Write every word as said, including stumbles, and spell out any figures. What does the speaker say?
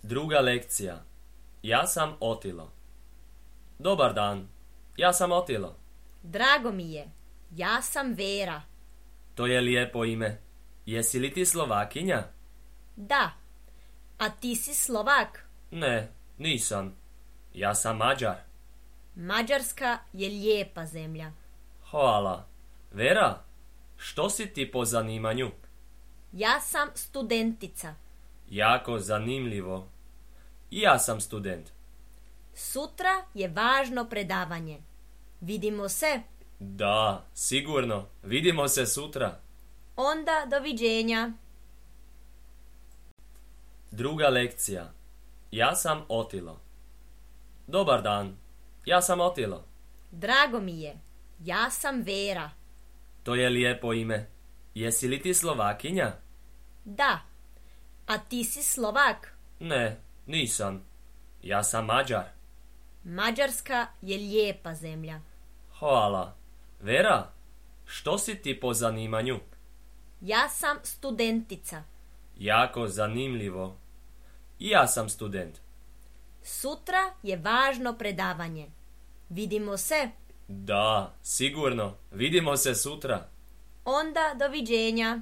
Druga lekcija. Ja sam Otilo. Dobar dan. Ja sam Otilo. Drago mi je. Ja sam Vera. To je lijepo ime. Jesi li ti Slovakinja? Da. A ti si Slovak? Ne, nisam. Ja sam Mađar. Mađarska je lijepa zemlja. Hvala. Vera, što si ti po zanimanju? Ja sam studentica. Jako zanimljivo. I ja sam student. Sutra je važno predavanje. Vidimo se. Da, sigurno. Vidimo se sutra. Onda doviđenja. Druga lekcija. Ja sam Otilo. Dobar dan. Ja sam Otilo. Drago mi je. Ja sam Vera. To je lijepo ime. Jesi li ti Slovakinja? Da. A ti si Slovak? Ne, nisam. Ja sam Mađar. Mađarska je lijepa zemlja. Hvala. Vera, što si ti po zanimanju? Ja sam studentica. Jako zanimljivo. I ja sam student. Sutra je važno predavanje. Vidimo se. Da, sigurno. Vidimo se sutra. Onda doviđenja.